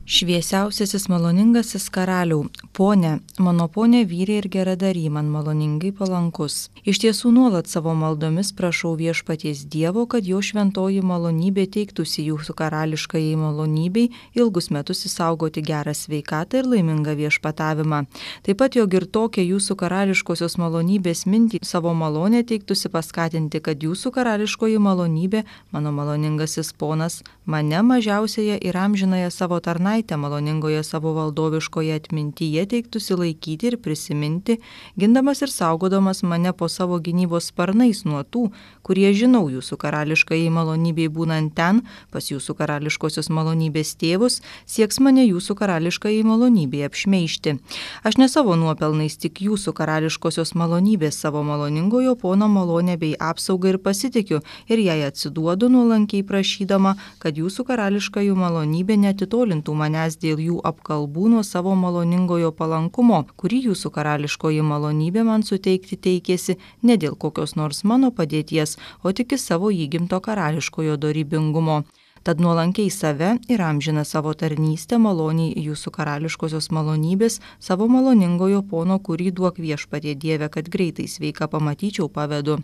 Šviesiausiasis maloningasis karaliau, ponė, mano ponė vyrė ir geradary, man maloningai palankus. Iš tiesų nuolat savo maldomis prašau viešpaties Dievo, kad jo šventoji malonybė teiktųsi jūsų karališkajai malonybei ilgus metus išsaugoti gerą sveikatą ir laimingą viešpatavimą. Taip pat jog ir tokia jūsų karališkosios malonybės mintį savo malonę teiktųsi paskatinti, kad jūsų karališkoji malonybė, mano maloningasis ponas, mane mažiausiąją ir amžinąją savo tarnaitę maloningoje savo valdoviškoje atmintyje teiktųsi laikyti ir prisiminti, gindamas ir saugodamas mane po savo gynybos sparnais nuo tų, kurie žinau jūsų karališkai malonybei būnant ten, pas jūsų karališkosios malonybės tėvus, sieks mane jūsų karališkai malonybei apšmeižti. Aš ne savo nuopelnais, tik jūsų karališkosios malonybės savo maloningojo pono malonę bei apsaugą ir pasitikiu ir jai atsiduodu nuolankiai prašydama, kad jūsų karališkai malonybė neatitolintų manęs dėl jų apkalbų nuo savo maloningojo palankumo, kurį jūsų karališkoji malonybė man suteikti teikėsi ne dėl kokios nors mano padėties, o tik į savo įgimto karališkojo dorybingumo. Tad nuolankiai save ir amžina savo tarnystę maloniai jūsų karališkosios malonybės, savo maloningojo pono, kurį duok viešpatie Dieve, kad greitai sveika pamatyčiau, pavedu.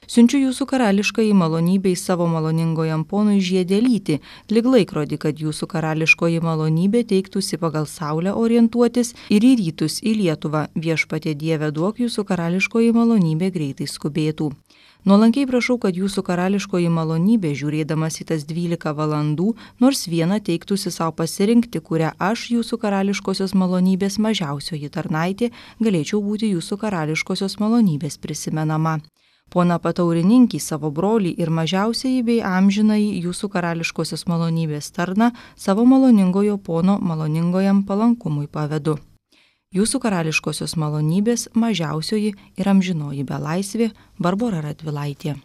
Siunčiu jūsų karališkai malonybei savo maloningojam ponui žiedelytį, lyg laikrodį, kad jūsų karališkoji malonybė teiktųsi pagal saulę orientuotis ir į rytus į Lietuvą. Viešpatie Dieve, duok jūsų karališkoji malonybė greitai skubėtų. Nuolankiai prašau, kad jūsų karališkoji malonybė, žiūrėdamas į tas 12 valandų, nors vieną teiktųsi savo pasirinkti, kurią aš, jūsų karališkosios malonybės mažiausioji tarnaitė, galėčiau būti jūsų karališkosios malonybės prisimenama. Pona pataurininkį savo brolį ir mažiausiai bei amžinai jūsų karališkosios malonybės tarną savo maloningojo pono maloningojam palankumui pavedu. Jūsų karališkosios malonybės mažiausioji ir amžinoji belaisvė Barbora Radvilaitė.